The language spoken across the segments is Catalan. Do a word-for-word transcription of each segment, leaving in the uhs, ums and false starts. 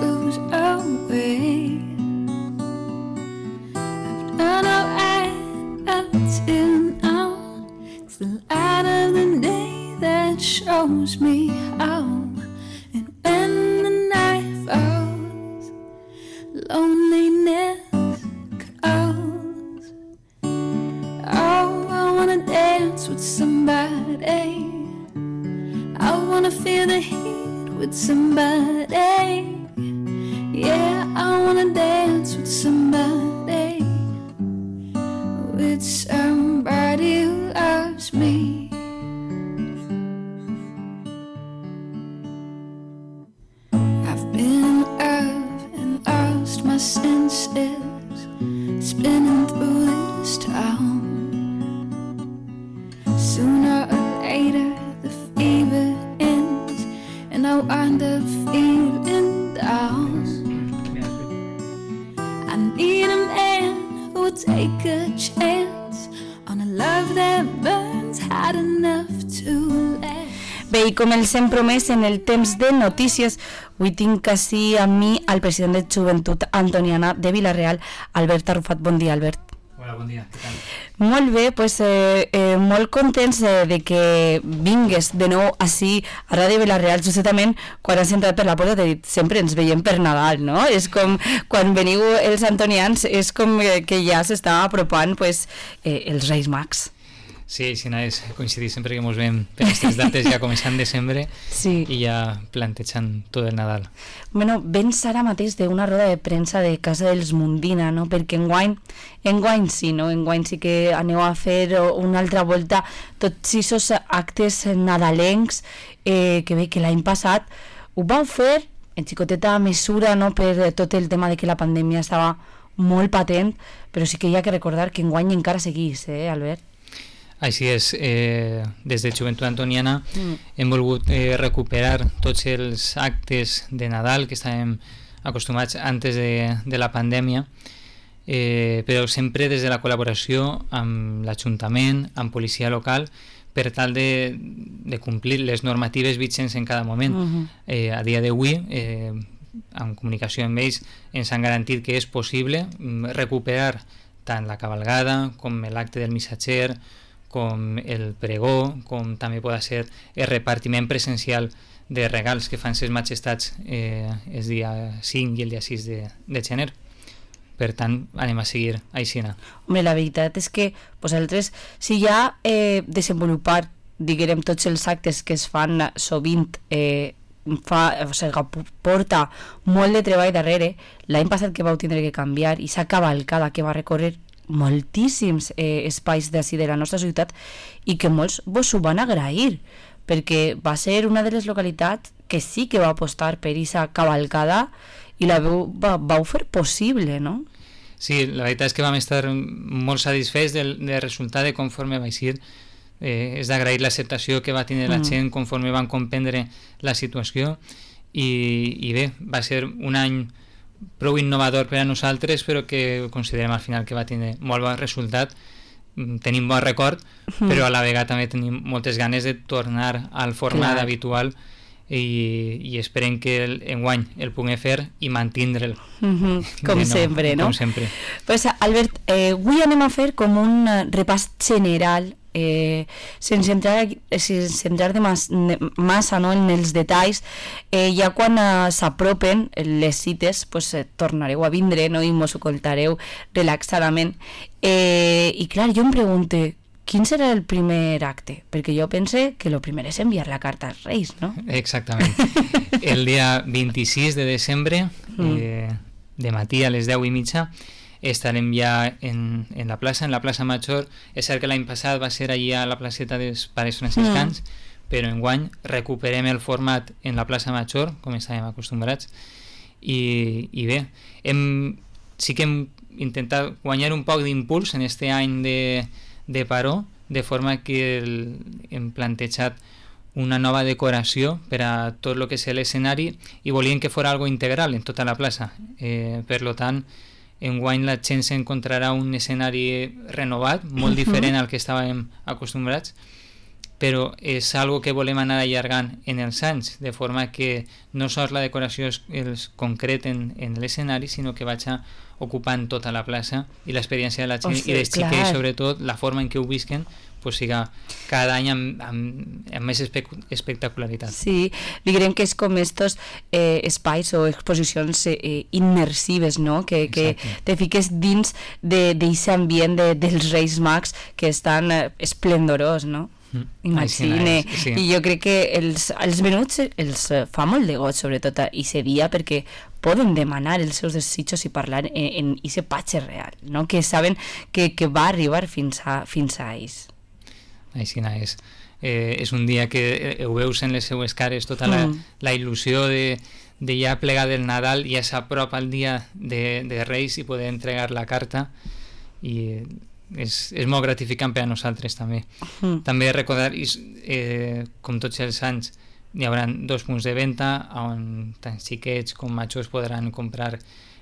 goes away. I've done all right up till now. It's the light of the day that shows me how. And when the night falls, loneliness calls. Oh, I wanna dance with somebody. I wanna feel the heat with somebody. Yeah, I wanna dance with somebody. With somebody who loves me. I've been in love and lost my senses, spinning through this town. Sooner or later the fever ends and I wind up feeling down. I need a man who will take a chance on a love that burns hot enough to last. Bé, i com els hem promès en el temps de notícies, avui tinc així amb mi el president de Joventut Antoniana de Vila-real, Albert Arrufat. Bon dia, Albert. Hola, bon dia, què tal? Molt bé, pues, eh, eh, molt contents eh, de que vingues de nou així a Ràdio Vila-real, justament quan has entrat per la porta t'he dit, sempre ens veiem per Nadal, no? És com quan veniu els antonians, és com que ja s'està apropant pues, eh, els Reis Mags. Sí, sí, no, és coincidir sempre que ens veiem per aquestes dates ja començant desembre sí. I ja plantejant tot el Nadal. Bueno, vens ara mateix d'una roda de premsa de Casa dels Mundina, no? Perquè enguany, enguany sí, no? Enguany sí que aneu a fer una altra volta tots aquests actes nadalencs eh, que bé que l'any passat ho vau fer en xicoteta mesura, no? Per tot el tema de que la pandèmia estava molt patent, però sí que hi ha que recordar que enguany encara seguís, eh, Albert? Així és, eh, des de Joventut Antoniana mm. hem volgut eh, recuperar tots els actes de Nadal que estàvem acostumats antes de, de la pandèmia, eh, però sempre des de la col·laboració amb l'Ajuntament, amb policia local, per tal de, de complir les normatives vigents en cada moment. Mm-hmm. Eh, a dia d'avui, eh, en comunicació amb ells, ens han garantit que és possible recuperar tant la cavalgada com l'acte del missatger, com el pregó, com també pot ser el repartiment presencial de regals que fan ses majestats eh, el dia cinc i el dia sis de, de gener. Per tant, anem a seguir aixina. Home, la veritat és que vosaltres, si ja eh, desenvolupar, diguem, tots els actes que es fan sovint eh, fa, o sigui, porta molt de treball darrere, l'any passat que vau tindre que canviar i s'ha cavalcada que va recórrer moltíssims eh, espais d'ací de la nostra ciutat i que molts vos ho van agrair perquè va ser una de les localitats que sí que va apostar per aquesta cavalcada i la veu, va, vau fer possible, no? Sí, la veritat és que vam estar molt satisfets del, del resultat de conforme va eixir. Eh, és d'agrair l'acceptació que va tenir la mm. gent conforme van comprendre la situació i, i bé, va ser un any prou innovador per a nosaltres, però que considerem al final que va tenir molt bon resultat. Tenim bon record, mm. però a la vegada també tenim moltes ganes de tornar al format Clar. habitual i, i esperem que el, enguany el puguem fer i mantindre'l. Mm-hmm. Com nou, sempre, no? Com sempre. Pues, Albert, eh, avui anem a fer com un repàs general Eh, sense entrar, sense entrar de mas, massa no, en els detalls, eh, ja quan eh, s'apropen les cites pues, eh, tornareu a vindre no, i mos ho contareu relaxadament eh, i clar, jo em pregunto quin serà el primer acte? Perquè jo pense que el primer és enviar la carta als Reis, no? Exactament. El dia vint-i-sis de desembre eh, de matí a les deu i mitja estarem ja en, en la plaça, en la plaça Major. És cert que l'any passat va ser allà a la placeta dels Pares Franciscans, mm. però enguany recuperem el format en la plaça Major, com estàvem acostumbrats, i, i bé, hem, sí que hem intentat guanyar un poc d'impuls en aquest any de, de paró, de forma que el, hem plantejat una nova decoració per a tot el que és l'escenari i volíem que fos algo integral en tota la plaça. Eh, per lo tant, enguany la gent s'encontrarà un escenari renovat, molt diferent al que estàvem acostumbrats, però és algo que volem anar allargant en els anys, de forma que no sols la decoració es, es concreten en l'escenari, sinó que vaig ocupant tota la plaça i l'experiència de la gent, o sigui, i dels xiquets, sobretot, la forma en què ho visquen, pues siga cada any amb, amb, amb més espe espectacularitat. Sí, diguem que és com estos eh, espais o exposicions eh, immersives, no? Que, que te fiques dins d'aquest ambient de, dels Reis Mags que estan eh, esplendorós, no? Mm. Imagine. Sí, sí. I jo crec que els, els menuts els fa molt de goig, sobretot a aquest dia, perquè poden demanar els seus desitjos i parlar en aquest patge real, no? Que saben que, que va arribar fins a, fins a ells. Així és. Eh, és un dia que ho veus en les seues cares, tota la, mm. la il·lusió de, de ja plegar del Nadal, ja s'apropa el dia de, de Reis i poder entregar la carta, i és, és molt gratificant per a nosaltres també. Mm. També recordar, eh, com tots els anys, hi haurà dos punts de venda on tant xiquets com majors podran comprar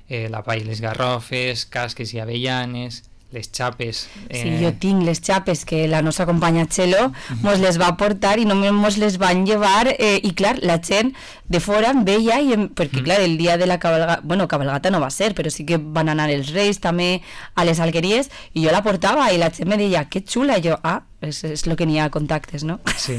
eh, la palla i les garrofes, casques i avellanes, les xapes. Eh... Sí, jo tinc les xapes que la nostra companya Txelo mos les va portar i només mos les van llevar eh, i clar, la gent de fora em veia i em... perquè clar, el dia de la cabalgata, bueno, cabalgata no va ser, però sí que van anar els Reis també a les alqueries i jo la portava i la gent me deia, que xula, i jo, ah, és, és el que n'hi ha contactes, no? Sí.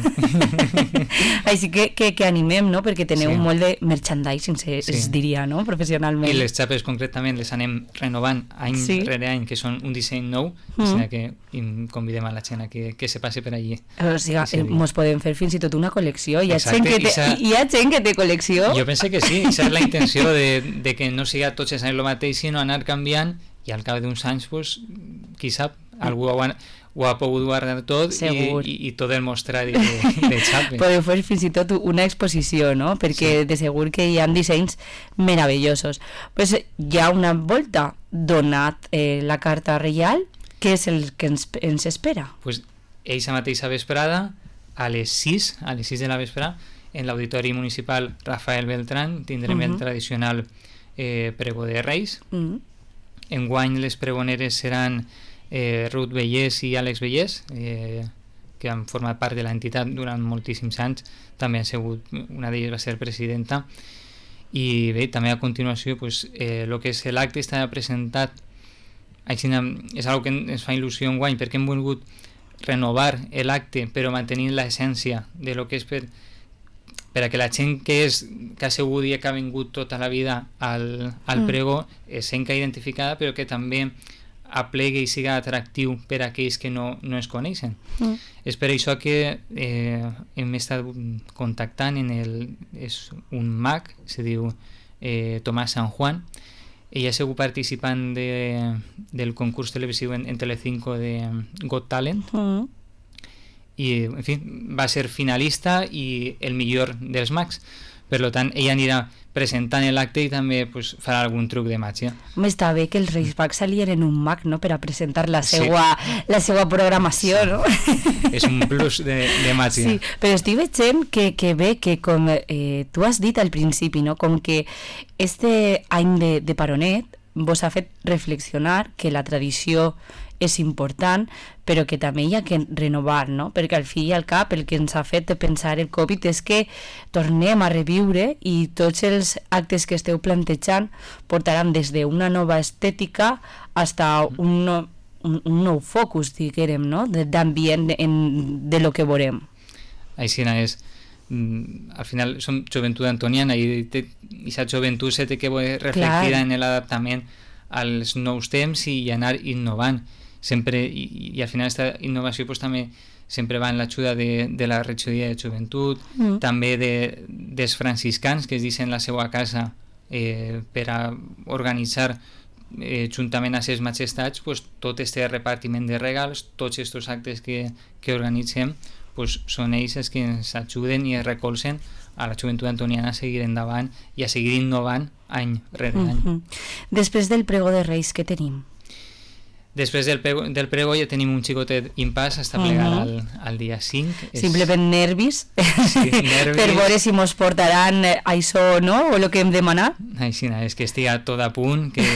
Així que, que, que animem, no? Perquè teneu sí. molt de merchandising, se, sí. es diria, no? Professionalment. I les xapes concretament les anem renovant any sí. rere any, que són un disseny nou, mm. o que convidem a la gent a que, que se passi per allí. O sigui, eh, mos podem fer fins i tot una col·lecció. Hi ha, gent que, te, hi ha gent que té col·lecció. Jo penso que sí, aquesta és la intenció de, de que no siga tots els anys el mateix, sinó anar canviant i al cap d'uns anys, pues, qui sap, algú ho ha, ho ha pogut guardar tot i, i, i tot el mostrar de, de xapes. Podeu fer fins i tot una exposició, no? Perquè sí. de segur que hi ha dissenys meravellosos. Pues hi ha una volta donat eh, la carta reial, què és el que ens, ens espera? Pues eixa mateixa vesprada, a les sis, a les sis de la vesprada, en l'Auditori Municipal Rafael Beltrán tindrem uh-huh. el tradicional eh, pregó de Reis. Uh-huh. Enguany les pregoneres seran eh, Ruth Vellés i Àlex Vellés, eh, que han format part de l'entitat durant moltíssims anys, també han sigut, una d'elles va ser presidenta, i bé, també a continuació pues, eh, el que és l'acte està presentat, així, és una que ens fa il·lusió enguany, perquè hem volgut renovar l'acte però mantenint l'essència de lo que és per, per a que la gent que, és, que ha sigut i que ha vingut tota la vida al, al mm. pregó es senta identificada, però que també aplegue i siga atractiu per a aquells que no, no es coneixen. Mm. És per això que eh, hem estat contactant en el, és un mag, se diu eh, Tomàs San Juan. Ella ha sigut participant de, del concurs televisiu en, en Telecinco de Got Talent. Mm. I, en fi, va ser finalista i el millor dels mags. Per tant, ella anirà presentant l'acte i també pues, farà algun truc de màgia. Home, està bé que els Reis Mags s'alieren un mag, no?, per a presentar la seva, sí. la seva programació, sí. no? És un plus de, de màgia. Sí, però estic veient que, que bé, que com eh, tu has dit al principi, no?, com que este any de, de Paronet vos ha fet reflexionar que la tradició és important, però que també hi ha que renovar, no? Perquè al fi i al cap el que ens ha fet pensar el Covid és que tornem a reviure i tots els actes que esteu plantejant portaran des d'una nova estètica fins a un, no, un, un nou focus, diguem, no? D'ambient de, de lo que veurem. Així és. Mm, al final som joventut antoniana i aquesta joventut se té que reflectir en l'adaptament als nous temps i anar innovant sempre, i, i al final aquesta innovació pues, també sempre va en l'ajuda de, de la regidoria de joventut, mm. també de, dels franciscans que es deixen la seva casa eh, per a organitzar eh, juntament a ses majestats pues, tot este repartiment de regals, tots aquests actes que, que organitzem pues, són ells els que ens ajuden i recolzen a la joventut antoniana a seguir endavant i a seguir innovant any rere any. Mm-hmm. Després del pregó de Reis, què tenim? Després del pregó, del pregó ja tenim un xicotet impàs està plegat uh-huh. al, al dia cinc. Simplement nervis, sí, nervis. Per veure si mos portaran això o no, o el que hem demanat. Així, és que estigui tot a punt, que,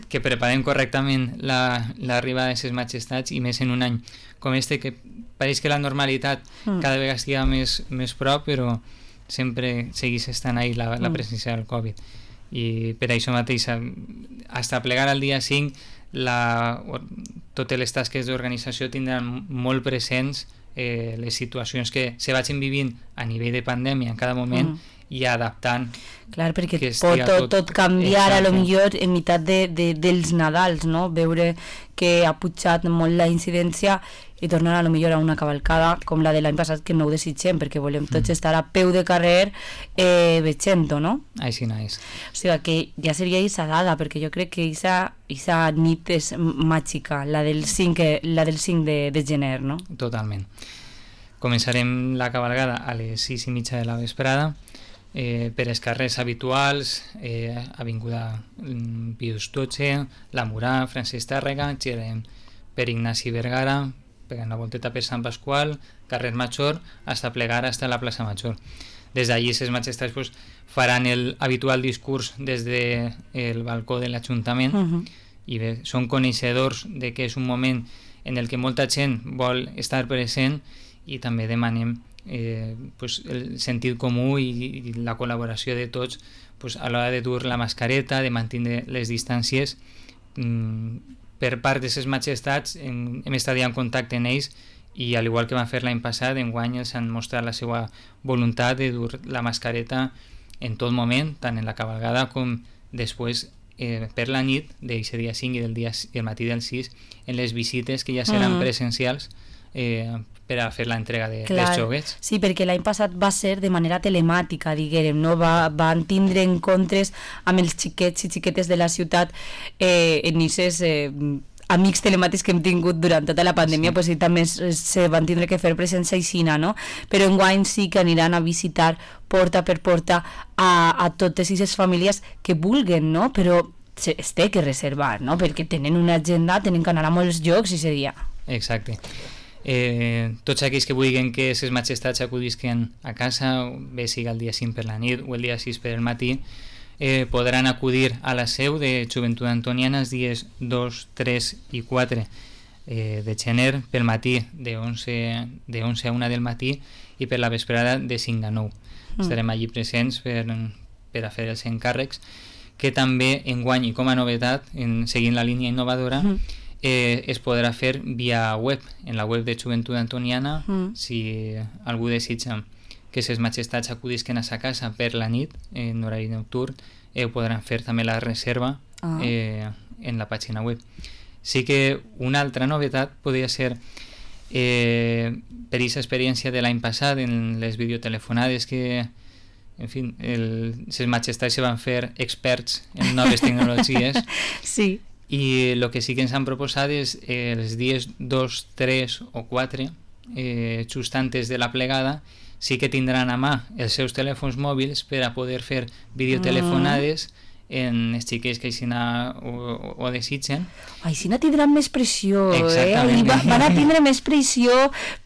que preparem correctament l'arribada la, de ses majestats i més en un any com este que pareix que la normalitat Mm. cada vegada estigui més, més prop, però sempre seguís estant ahí la, la Mm. presència del Covid. I per això mateix, fins a plegar al dia cinc, la, totes les tasques d'organització tindran molt presents eh, les situacions que se vagin vivint a nivell de pandèmia en cada moment, mm. i adaptant. Clar, perquè que pot estiga tot, tot- tot canviar a lo Exacte. millor en meitat de, de, dels Nadals, no? Veure que ha pujat molt la incidència i tornar a lo millor a una cavalcada com la de l'any passat, que no ho desitgem perquè volem tots Mm. estar a peu de carrer eh, veient-ho, no? Així no és. O sigui que ja seria esa dada, perquè jo crec que esa, esa nit és màgica, la del cinc, la del cinc de, de gener, no? Totalment. Començarem la cabalgada a les sis i mitja de la vesprada, eh, per els carrers habituals, eh, Avinguda mm, Pius dotze, La Murà, Francesc Tàrrega, girem per Ignasi Vergara, pegant la volteta per Sant Pasqual, carrer Major, hasta plegar hasta la plaça Major. Des d'allí, ses majestats pues, faran el habitual discurs des del de balcó de l'Ajuntament, Uh -huh. i bé, són coneixedors de que és un moment en el que molta gent vol estar present, i també demanem eh, pues, el sentit comú i, i la col·laboració de tots pues, a l'hora de dur la mascareta, de mantenir les distàncies. Mm, per part de ses majestats hem, hem estat ja en contacte amb ells, i al igual que van fer l'any passat, enguany els han mostrat la seva voluntat de dur la mascareta en tot moment, tant en la cabalgada com després eh, per la nit d'aquest dia cinc i del dia i el matí del sis, en les visites que ja seran Mm. presencials eh, per a fer l'entrega de, Clar, dels joguets. sí, perquè l'any passat va ser de manera telemàtica, diguem, no? Va, van tindre encontres amb els xiquets i xiquetes de la ciutat eh, en aquests eh, amics telemàtics que hem tingut durant tota la pandèmia, Sí. pues, i també es, se van tindre que fer presència aixina, no? Però enguany sí que aniran a visitar porta per porta a, a totes aquestes famílies que vulguen, no? Però se, es té que reservar, no? Perquè tenen una agenda, tenen que anar a molts llocs aquest dia. Exacte. Eh, tots aquells que vulguin que ses majestats acudisquen a casa, bé siga el dia cinc per la nit o el dia sis per el matí, eh, podran acudir a la seu de Joventut Antoniana els dies dos, tres i quatre eh, de gener, pel matí de onze, de onze a una del matí, i per la vesprada de cinc a nou. Mm. Estarem allí presents per, per a fer els encàrrecs, que també enguany, i com a novetat, en, seguint la línia innovadora, Mm. eh, es podrà fer via web, en la web de Joventut Antoniana. Mm. Si algú desitja que ses majestats acudisquen a sa casa per la nit, en horari nocturn, eh, podran fer també la reserva Ah. eh, en la pàgina web. Sí que una altra novetat podria ser eh, per aquesta experiència de l'any passat en les videotelefonades que, en fi, el, ses majestats se van fer experts en noves tecnologies. Sí. I el que sí que ens han proposat és eh, els dies dos, tres o quatre, eh, just antes de la plegada, sí que tindran a mà els seus telèfons mòbils per a poder fer videotelefonades mm. en els xiquets que així ho, ho, ho desitgen. Així no tindran més pressió, eh? Exactament. I va, van a tindre més pressió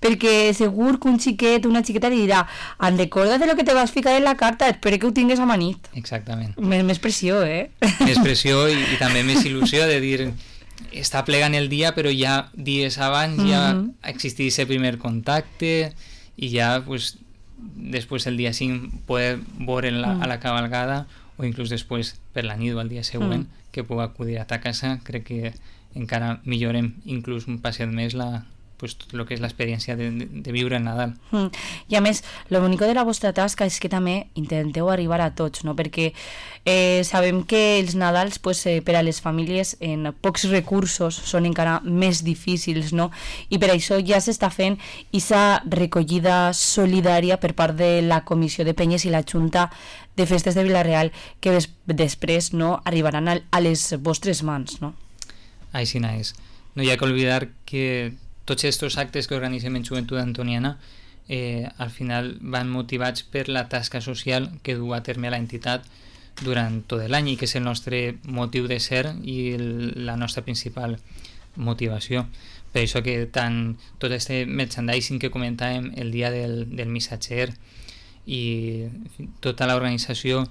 perquè segur que un xiquet, una xiqueta li dirà en recorda de lo que te vas ficar en la carta, espero que ho tingues a manit. Exactament. Més, més pressió, eh? Més pressió i, i també més il·lusió de dir està plegant el dia, però ja dies abans mm -hmm. ja existís el primer contacte i ja pues, després el dia cinc poder veure la, a la cabalgada o inclús després per la nit o el dia següent mm. que puc acudir a ta casa. Crec que encara millorem inclús un passet més la, pues, tot el que és l'experiència de, de, de viure el Nadal. Mm. I a més, lo bonico de la vostra tasca és que també intenteu arribar a tots, no? Perquè eh, sabem que els Nadals pues, eh, per a les famílies en pocs recursos són encara més difícils, no? I per això ja s'està fent aquesta recollida solidària per part de la Comissió de Penyes i la Junta de Festes de Vila-real, que des després no, arribaran a, a les vostres mans, no? Així és. No hi ha que oblidar que tots aquests actes que organitzem en Joventut Antoniana eh, al final van motivats per la tasca social que du a terme la entitat durant tot l'any i que és el nostre motiu de ser i el, la nostra principal motivació. Per això que tant tot este merchandising que comentàvem el dia del, del missatger i en fi, tota l'organització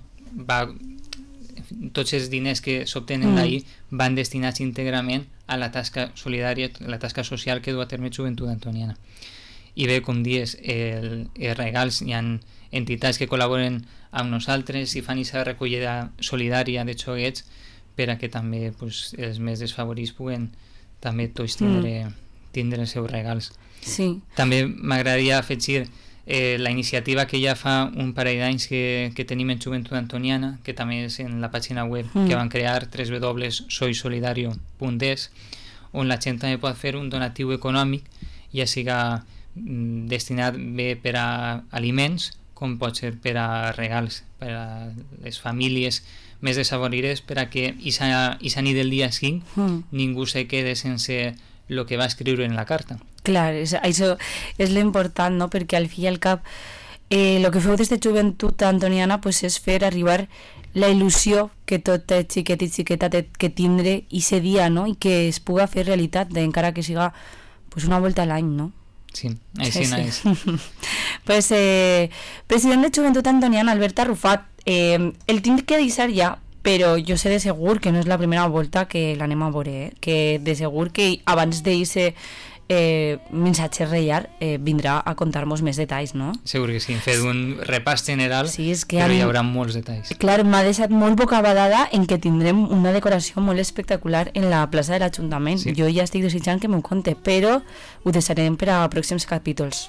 va, en fi, tots els diners que s'obtenen mm. d'ahir van destinats íntegrament a la tasca solidària, la tasca social que du a terme Joventut Antoniana. i bé, com dius, el, els regals, hi ha entitats que col·laboren amb nosaltres i fan aquesta recollida solidària de xoguets per a que també pues, els més desfavorits puguen també tots tindre, mm. tindre els seus regals. Sí. També m'agradaria afegir eh, la iniciativa que ja fa un parell d'anys que, que tenim en Joventut Antoniana, que també és en la pàgina web mm. que van crear w w w punt soy solidario punt es, on la gent també pot fer un donatiu econòmic, ja siga mm, destinat bé per a aliments com pot ser per a regals, per a les famílies més desafavorides, per a que aquesta nit del dia cinc mm. ningú se quede sense el que va escriure en la carta. Clar, és, això és l'important, no? Perquè al fi i al cap el eh, que feu des de Joventut Antoniana pues, és fer arribar la il·lusió que tot xiquet i xiqueta té que tindre i dia, no? I que es puga fer realitat, encara que siga pues, una volta a l'any, no? Sí, així sí, és. Sí. pues, eh, president de Joventut Antoniana, Albert Arrufat, eh, el tinc que deixar ja, però jo sé de segur que no és la primera volta que l'anem a veure, eh? Que de segur que abans d'eixe eh, missatge reial eh, vindrà a contar-nos més detalls, no? Segur que sí, fet un repàs general, sí, és que però han... hi haurà molts detalls. Clar, m'ha deixat molt bocabadada en que tindrem una decoració molt espectacular en la plaça de l'Ajuntament. Sí. Jo ja estic desitjant que m'ho conte, però ho deixarem per a pròxims capítols.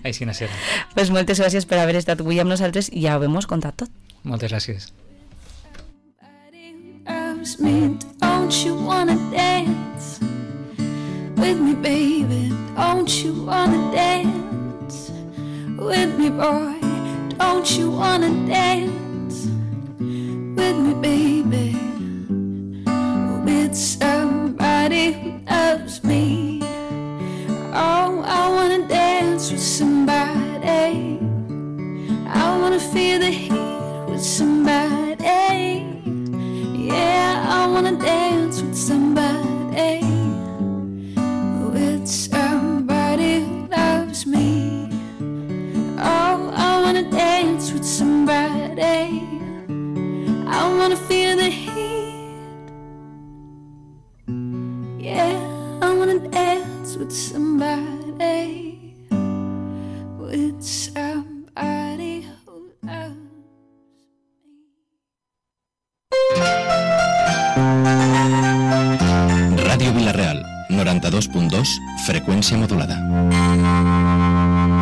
Així no serà. Pues moltes gràcies per haver estat avui amb nosaltres i ja ho hem contat tot. Moltes gràcies. Me, don't you wanna dance with me, baby? Don't you wanna dance with me, boy? Don't you wanna dance with me, baby? With somebody who loves me. Oh, I wanna dance with somebody. I wanna feel the heat with somebody. Yeah, I wanna dance with somebody, with somebody who loves me. Oh, I wanna dance with somebody. I wanna feel the heat. Yeah, I wanna dance with somebody, with somebody who loves me. Ràdio Vila-real, noranta-dos punt dos, freqüència modulada.